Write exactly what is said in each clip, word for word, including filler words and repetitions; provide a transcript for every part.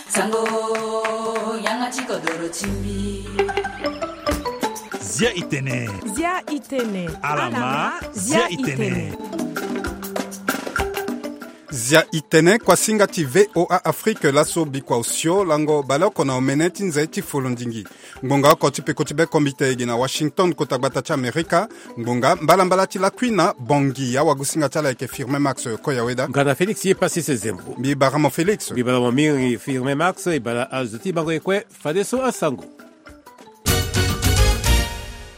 Sango, yanga ti kodoro ti mbi. Zia itene. Zia itene. Alama, zia itene. Zia itene, kuasinga ti V O A Afrique, laso bikua osio lango baleoko na omene ti nze ti folondingi. Ngbonga oko ti peko ti be kombite ege na Washington, kota gbata ti Amerika. Ngbonga mbalambala ti lakui na Bongi, awagosinga ti ala ayeke Firmin Max Koyaweda. Nga na Félix ye Passis Zembo. Mbi bara mo Félix. Mbi bara mo mingi Firmin Max, e bara azo ti bango ye kue, fadeso asango.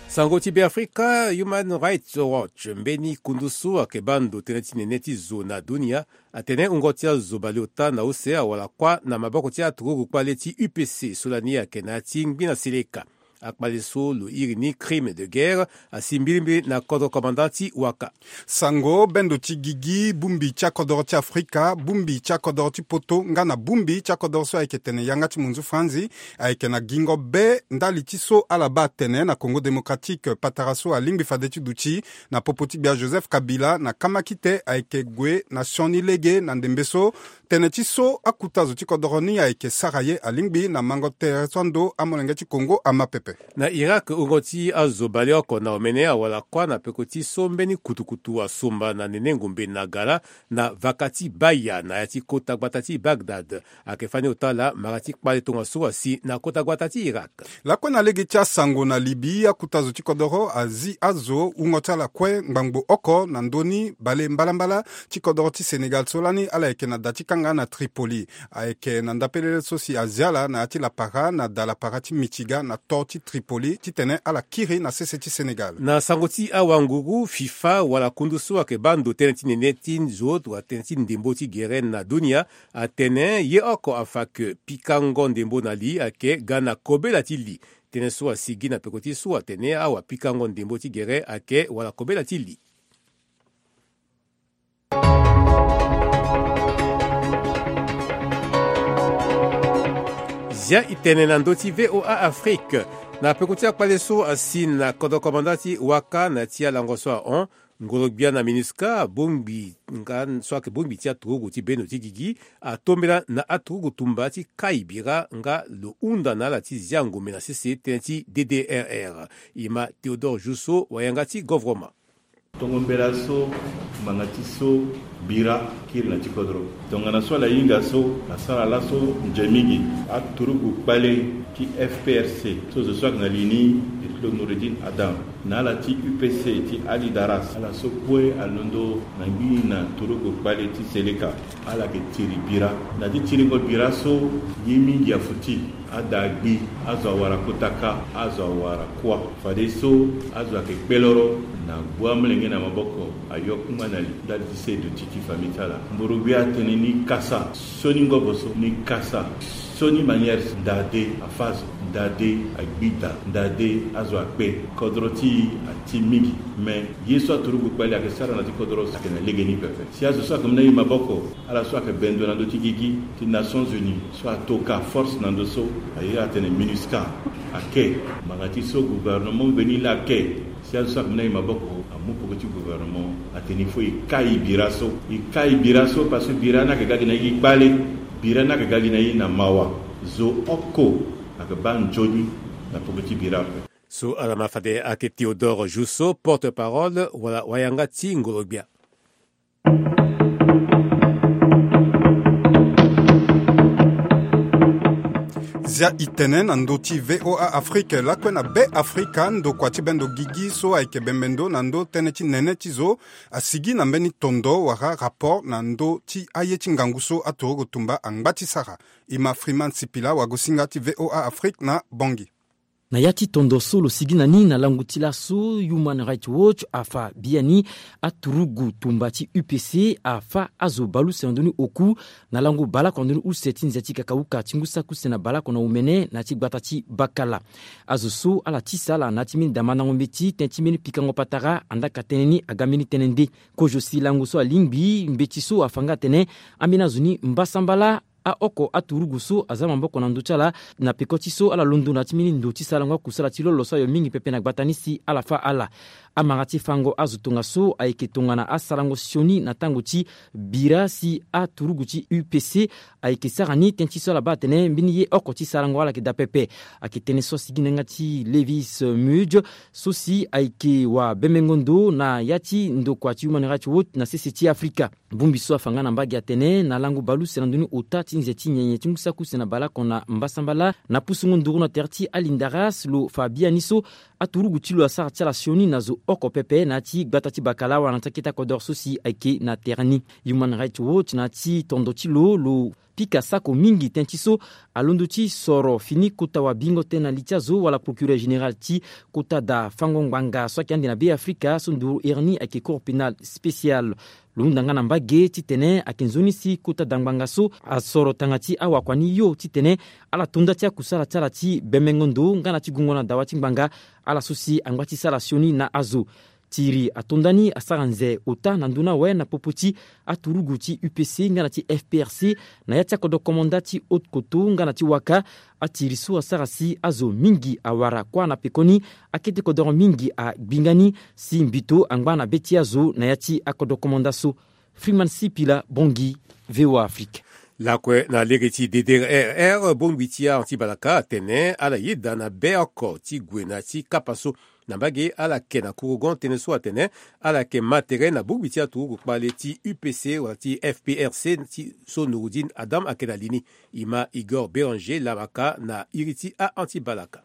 Sango ti Beafrika, Human Rights Watch, mbeni kundu so ayeke baa ndo tënë ti nene ti zo na dunia, atene wungo ti azo baleota na use awara kuâ na maboko ti aturugu kpale ti U P C so lani ayeke na ya ti ngbi na seleka. Akpale so lo iri ni crime de guerre, asi mbilimbili na kodro commandant ti waka. Sango, bendo ti gigi, bongbi ti akodoro ti Afrika, bongbi ti akodoro ti poto nga na bongbi ti akodoro so ayeke tene yanga ti munzu franzi, ayeke na gingo be ndali ti so ala baa atene na Congo Démocratique, patara so alingbi fade ti duti na popo ti gbia Joseph Kabila na kamakite ayeke gue na sioni lege na ndembe so. Tënë ti so akuta zo ti kodoro ni ayeke sara ye alingbi na mango tere so ando amolenge ti Congo ama pepe. Na Irak, wungo ti azo baleoko na omene awara kuâ na peko ti so mbeni kutukutu asomba na nene ngombe na gala na vaka ti Baya na ya ti kota gbata ti Bagdad. Ayeke fani ota ala mara ti kpale tongaso asi na kota gbata ti Irak. Lakue na lege ti asango na Libye, akuta zo ti kodoro azi azo wungo ti ala kue ngbangbo oko na ndö ni bale mbalambala ti kodoro ti Sénégal so lani ala yeke na da ti kanga na Tripoli. Ayeke na ndapelele so si azi ala na ya ti lapara na da lapara ti Michigan na to ti Tripoli titene ala kiri na sese ti Sénégal. Na sango ti awanguru, FIFA wala kundu so ayeke baa ndo tënë ti nene ti zo tongana tënë ti ndembo ti gere na dunia, atene ye oko afa ke pikango ndembo na li ayeke ga na kobela ti li. Tënë so asigi na peko ti so atene awapikango ndembo ti gere ayeke wala kobela ti li. Zia itene na ndö ti V O A Afrique. Na peko ti akpale so asi na kodro komanda ti waka na ya ti alango so ahon, ngoro-gbia na MINUSCA, bongbi nga so ayeke bongbi ti aturugu ti bendo ti gigi, atombela na aturugu tumba ti kai bira nga lo hunda na ala ti zia ngombe na sese tënë ti D D R R. E ma Théodore Jousso, wayanga ti govroma. Tongo mbela so, ngbanga ti so, bira kiri na ti kodro. Tongana so ala hinga so, asara laso nze mingi. Aturugu kpale ti F P R C so zo so ayeke na li ni, ti lo Noureddine Adam, na ala ti U P C ti Ali Daras, ala so kue alondo na ngbii na turugu kpale ti Seleka. Ala yeke tiri bira. Na ti tiringo bira so, ye mingi afuti. Ada agbi, azo awara kota kâ, azo awara kuâ. Fadeso azo ayeke kpeloro na gbu amolenge na maboko, ayo kungba na li ndali ti se duti ti famille ti ala. Ngoro-gbia atene ni kasa, sioni ngobo so, ni kasa, sioni manière, ndade afâ zo, ndade agbi daa, ndade azo akpe. Kodro ti e ati mingi. Me ye so aturugu kpale ayeke sara na ti kodro ayeke na legeni pepe. Si azo so ayeke mu na e maboko, ala so ayeke bendo na ndö ti gigi ti Nations Unies so atoka force na ndö so, aye atene MINUSCA ake. Ngbanga ti so gouvernement veni laa ake. Si azo so ayeke mu na e maboko amu peko ti gouvernement, atene il faut e kai bira so. E kai bira so parce que bira ni ayeke ga gi na e gi kpale. Bira ni ayeke ga gi na e na mawa. Zo oko ayeke baa nzoni na peko ti bira ape. So ala ma fade ayeke Théodore Jousso, porte-parole wala wayanga ti ngoro-gbia. Zia itene na ndö ti V O A Afrique, lakue na Be Afrika, ndokua ti bendo gigi so ayeke bembe ndo na ndö tënë ti nene ti zo, asigi na mbeni tondo wala rapport na ndö ti aye ti ngangu so aturugu tumba angba ti sara. E ma Freeman Sipila, wagosinga ti V O A Afrique na Bangui. Na ya ti tondo so lo sigi na ni na lango ti laso, Human Rights Watch afa biani aturugu tumba ti U P C afâ azo bale use na ndö ni oku na lango baleoko na ndö ni use ti nze ti kakauka ti ngu saki use na baleoko na omene na ya ti gbata ti Bakala. Azo so ala tisa ala na ya ti mbeni damandango mbeti tënë ti mbeni pikango patara andaa ka tënë ni aga mbeni tënë nde. Kozo si lango so alingbi mbeti so afa nga atene ambeni azo ni mbasambala aoko aturugu so aza maboko na ndö ti ala na peko ti so ala londo na ya ti mbeni ndo ti sarango akusala ti lolo so ayo mingi pepe na gbata ni si ala fâ ala. Amara ti fango azo tongaso ayeke tongana asarango sioni na tango ti bira si aturugu ti U P C ayeke sara ni tënë ti so ala baa atene mbeni ye oko ti sarango ala yeke daa pepe. Ayeke tënë so asigi na yanga ti Lewis Mudge so si ayeke wabemengo ndo na ya ti ndokua ti Human Rights Watch na sese ti Afrika. Bongbi so afa nga na mbage atene na lango baleuse na ndoni ota ti nze ti nyenye ti ngu saki use na baleoko na mbasambala na pusungo nduru na tere ti alindaras lo fa biani so aturugu ti lo asara ti ala sioni na zo oko pepe na ya ti gbata ti bakala wala na ti akete akodoro so si ayeke na tere ni. Human Rights Watch na ya ti tondo ti lo lo pika sako mingi tënë ti so alondo ti soro fini kota wabingo tënë na li ti azo wala procureur général ti kota da fango ngbanga so ayeke ande na Be Afrika so nduru iri ni ayeke Cour pénale spéciale. Lo hunda nga na mbage titene ayeke nzoni si kota da ngbanga so asoro tanga ti awakua ni yo titene ala to nda ti akusala ti ala ti bemengo ndo nga na ti gungo na dawa ti ngbanga ala so si angba ti sara sioni na azo. Tiri ato nda ni asara nze ota na ndö ni awe na popo ti aturugu ti U P C nga na ti F P R C na ya ti akodro komanda ti Haute-Koto nga na ti Waka. Atiri so asara si azo mingi awara kuâ na pekoni. Akete kodoro mingi agbi nga ni si mbito angba na be ti azo na ya ti akodro komanda so. Freeman Sipila, Bangui, V O A Afrique. Lakue na lege ti D D R R, bongbi ti anti-balaka atene ala yeda na be oko ti gue na ti kapa so na mbage ala yeke na kurugon tënë so atene ala yeke ma tere na bongbi ti aturugu kpale ti U P C wala ti F P R C ti so Nouroudine Adam ayeke na li ni. E ma Igor Béranger Lamaka na iri ti a-anti-balaka.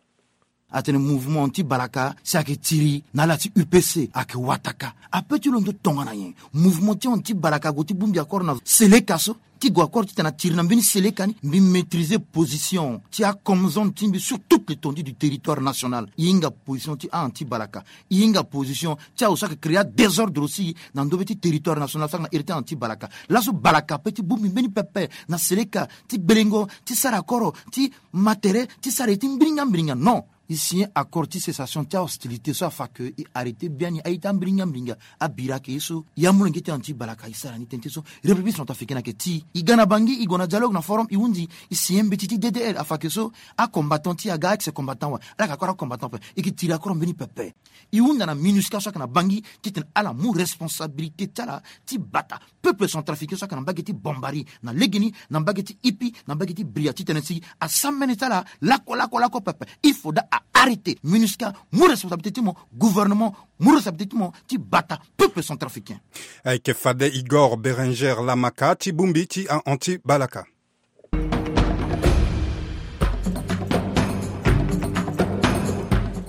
Atene mouvement anti-balaka si ayeke tiri na ala ti U P C ayeke wataka. Ape ti londo tongana nyen? Mouvement ti anti-balaka ague ti bongbi akoro na Seleka so ti gue akoro titene atiri na mbeni Seleka ni. Mbi maîtriser position ti akomzone ti mbi sur toute l'étendue du territoire national. E hinga position ti a-anti-balaka. E hinga position ti azo so ayeke créer adésordre aussi na ndö be ti territoire national so ayeke na iri ti a-anti-balaka. Laso balaka ape ti bongbi mbeni pepe na Seleka ti gbelengo ti sara akoro ti ma tere ti sara ye ti mbiringa mbiringa. Non. E signé accord ti cessation ti ahostilité so afa ke e arrêter biani aye ti ambiringa mbiringa. Abira ayeke ye so e amolenge ti anti-balaka e sara ni tënë ti so République centrafricaine ayeke ti e ga na Bangui e gue na dialogue na forum e hundi e signé mbeti ti D D R afa ke so acombattant ti e aga aex combattant awe. Ala yeke akoro acombattant ape. E yeke tiri akoro mbeni pepe. E hunda na MINUSCA so ayeke na Bangui titene ala mu responsabilité ti ala ti bata peuple centrafricain so ayeke na mbage ti Bambari na legeni, na mbage ti Ipi, na mbage ti Bria titene si asamene ti ala lako lako lako pepe. Il faudra a arrêter. MINUSCA mu responsabilité ti mo, gouvernement mu responsabilité ti mo ti bata peuple centrafricain. Ayeke fade Igor Béranger Lamaka ti bongbi ti a-anti-balaka.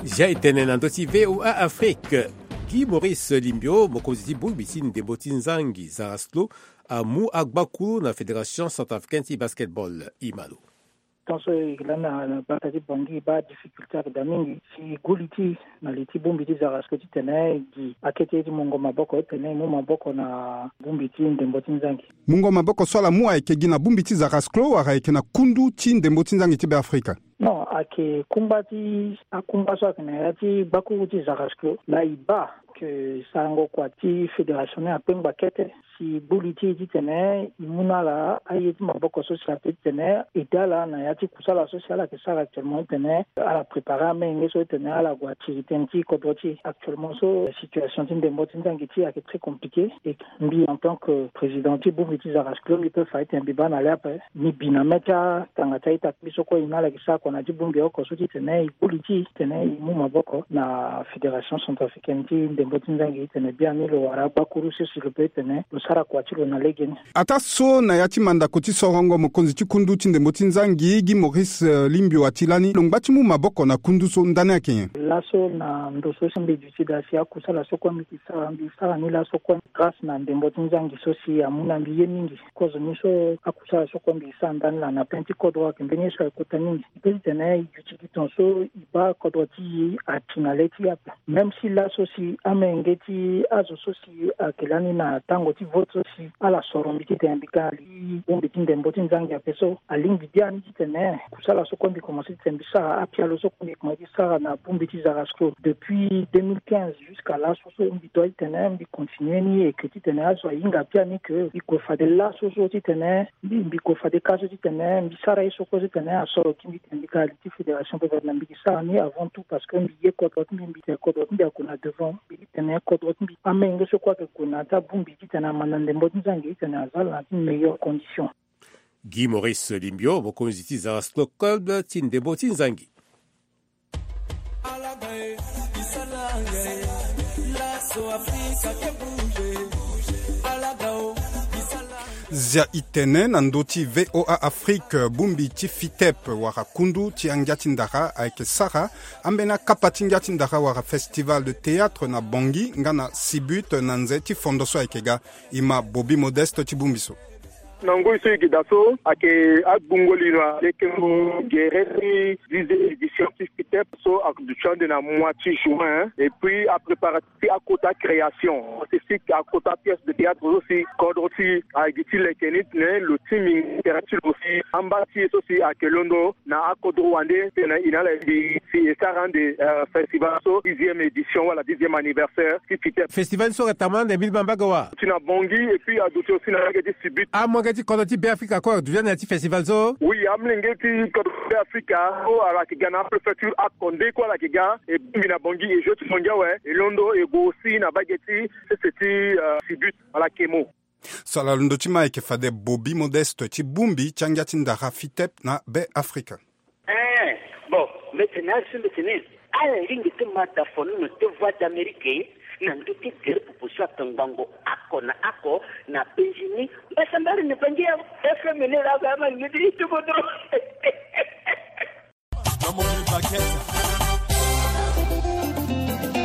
Zia e tene na ndö ti V O A Afrique. Guy Maurice Limbio, mokonzi ti bongbi ti ndembo ti nzangi Zarasclo, amu agbakuru na Fédération Centrafricaine ti Basketball. E ma lo. Tant so e lani na bata ti Bangui e baa difficulté ayeke daa mingi si e gbu li ti e na li ti bongbi ti Zarasclo titene e gi akete ye ti mungo maboko titene e mu maboko na bongbi ti ndembo ti nzangi. Mungo maboko so ala mu ayeke gi na bongbi ti Zarasclo wala ayeke na kundu ti ndembo ti nzangi ti Beafrika? Non, ayeke kungba ti akungba so ayeke na ya ti gbakuru ti Zarasclo laa e baa ke sarango kua ti fédération ni akpengba kete si e gbu li ti e titene e mu na ala aye ti maboko so si ape titene e daa ala na ya ti kusala so si ala yeke sara actuellement titene ala préparer amenge so titene ala gue atiri tënë ti kodro ti e. Actuellement so situation ti ndembo ti nzangi ti e ayeke très compliqué. E mbi en tant que président ti bongbi ti Zarasclo mbi peut fa titene mbi baa na le ape. Mbi bi na mê ti atanga ti a-ita ti mbi so kue e na ala yeke sara kua na ya ti bongbi oko so titene e gbu li ti e titene e mu maboko na Fédération Centrafricaine ti ndembo ti nzangi titene biani lo wara agbakuru so si lo peut titene lo sara kua ti lo na legeni. Ataa so na ya ti mandako ti sorongo mokonzi ti kundu ti ndembo ti nzangi Guy Maurice, eh, Limbio ati lani lo ngba ti mu maboko na kundu so ndani ayeke nyen? Laso na ndo so si mbi duti daa si akusala so kue mbi yeke sara mbi sara ni laso kue grâce na ndembo ti nzangi so si amu na mbi ye mingi. Kozo ni so akusala so kue mbi yeke sara ndani laa na pin ti kodro ayeke mbeni ye so ayeke kota mingi. E peut titene e duti gi tongaso e baa kodro ti e ati na le ti e ape. Même si laso si amenge ti azo so si ayeke lani na tango ti vote so si ala soro mbi titene mbi ga na li ti bongbi ti ndembo ti nzangi ape so alingbi biani titene kusala so kue mbi komanse titene mbi sara apialo so kue mbi komanse ti sara na bongbi ti Zarasclo depuis deux mille quinze jusqu'à laso so mbi doit titene mbi continue ni et que titene azo ahinga biani que mbi gue fade laso so titene mbi mbi gue fade ka so titene mbi sara ye so kue so titene asoro gi mbi titene mbi ga na li ti fédération gouverneur mbi yeke sara ni avant tout parce que mbi ye kodro ti mbi mbi tene kodro ti mbi ague na devant mbi Titene kodro ti mbi amenge so kue ayeke gue na ya ti abongbi titene amanda ndembo ti nzangi titene aza ala na ya ti meilleure condition. Guy Maurice Limbio, mokonzi ti Zara Sport Club ti ndembo ti nzangi. Zia itene na ndö ti V O A Afrique, bongbi ti FITEP wala kundu ti angia ti ndara ayeke sara ambeni akapa ti ngia ti ndara wala festival de théâtre na Bangui nga na Sibut na nze ti fondo so ayeke ga. E ma Bobby Modeste ti bongbi so. Na ngoi so e yeke daa so ayeke agbungo lino na lekengo gere ti dixième édition ti FITEP so aduti ande na mois ti juin, et puis apréparatif ti akota création spécifique, akota pièce de théâtre so si kodro ti aye gi ti leke ni titene lo ti mingi tere ti lo si amba ti e so si ayeke londo na akodro wande titene e na ala e si e sara ande, euh, festival so dixième édition wala dixième anniversaire ti FITEP. Festival so ayeke tambula ande mbeni bambage wa? Ti na Bangui et puis aduti aussi na lege ti Sibut. Amolenge ti kodro ti Beafrika kue aduti ande na ya ti festival so? Oui, amolenge ti kodro ti Beafrika so ala yeke ga na apréfecture akonde kue ala yeke ga e bongbi na Bangui e jeu ti Bangui awe e londo e gue aussi na mbage ti sese ti, euh, Sibut ala yeke mo. So ala londo ti ma ayeke fade Bobby Modeste ti bongbi ti angia ti ndara FITEP na Beafrika. Eh, bon, mbi tene azo mbi tene ala lingbi ti ma dafono na te Voix d'Amérique na ndö ti gere popo so atongbango oko na oko na penzi ni. Mbasambara na Bangui awe. F M ni laa azo ama lingbi ti ti kodro.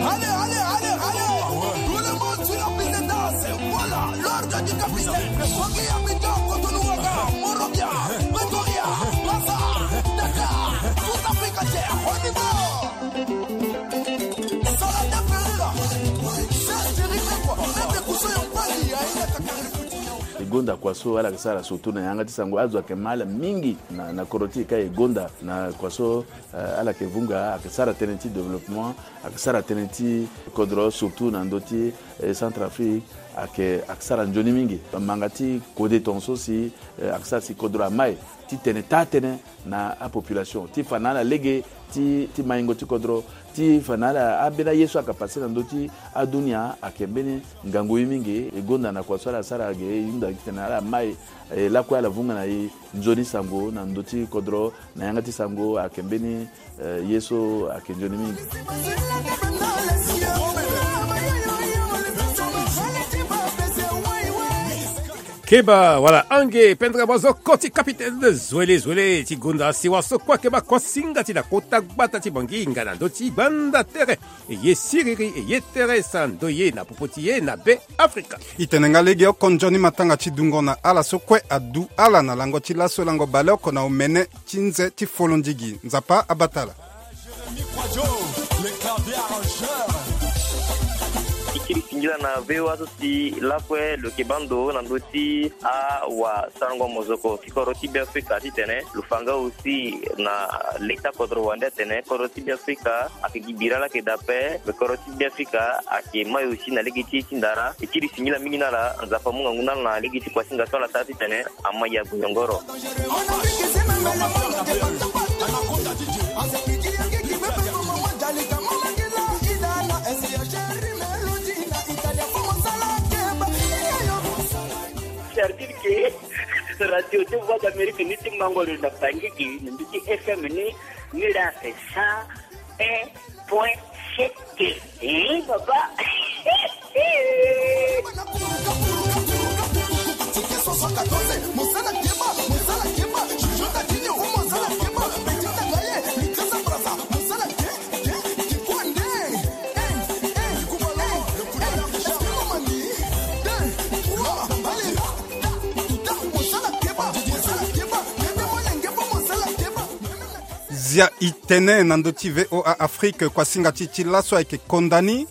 Allez, allez, allez, allez. Tout le monde sur la piste de danse. Voilà, l'ordre du capitaine. Kogi ya Mito, Cotonou, Ouaga, Monrovia, Pretoria, Maza, Dakar, tout Afrique entière. On y va. Salade Ferreira. Cherche de rire, quoi. Même les coussins, on peut y aller. E gonda kua so ala yeke sara surtout na yanga ti sango, azo ayeke ma ala mingi na, na kodro ti e ka e gonda na kua so, eh, ala yeke vunga, ayeke sara tënë ti développement, ayeke sara tënë ti kodro surtout na ndö ti, eh, Centrafrique, ayeke, ayeke sara nzoni mingi. Manga ti kode tongaso si, eh, ayeke sara si kodro amai titene taa tënë na apopulation ti fa na ala lege ti, ti maingo ti kodro, ti fa na ala ambeni aye so ayeke pase na ndö ti adunia ayeke mbeni ngangu ye mingi. E gonda na kua so ala sara ge e hunda titene ala mai, e lakue ala vunga na e nzoni sango na ndö ti kodro na yanga ti sango ayeke mbeni, eh, ye so ayeke nzoni mingi. Keba wala ange pendere bua zo koti capitaine. Zwele zwele ti gonda sewa so kue akeba kuasinga ti na kota gbata ti Bangui nga na ndö ti gbanda tere. E ye siriri e ye tere sa ndo ye na popo ti ye na Beafrika. E tene nga lege oko nzoni matanga ti dungo na ala so kue adu ala na lango ti laso lango baleoko na omene ti nze ti folondigi. Nzapa abata ala. E kiri singila na V O A so si lakue lo yeke baa ndo na ndö ti awasarango mozoko ti kodro ti Beafrika titene lo fa nga aussi na leta kodro wande atene kodro ti Beafrika ayeke gi bira laa ayeke daa ape, me kodro ti Beafrika ayeke mai aussi na lege ti ye ti ndara. E kiri singila mingi na ala, Nzapa amu ngangu na ala na lege ti kuasinga so ala sara titene ama ya gue yongoro. C'est-à-dire que radio ti Voix d'Amérique ni ti mango lo na Bangui gi na ndö ti F M ni, ni la c'est cent un point sept. Eh, papa. Zia e tene na ndö ti V O A Afrique, kuasinga ti e ti laso ayeke konda ni.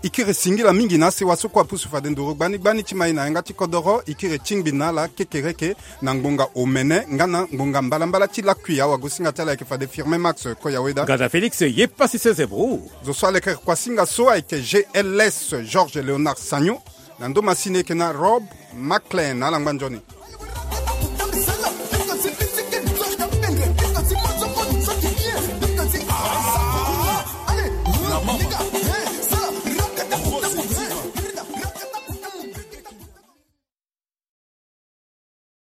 E kiri singila mingi na asewa so kue apusu fade nduru gbani gbani ti mai na yanga ti kodoro. E kiri tingbi na ala kekereke na ngbonga omene nga na ngbonga mbalambala ti lakui. Awagosinga ti ala ayeke fade Firmin Max Koyaweda. Gada Félix ye pasi sese bro. Zo so alekere kuasinga so ayeke G L S Georges Léonard Sagno. Na ndo masini eke na Rob Maclean. Ala ngba nzoni.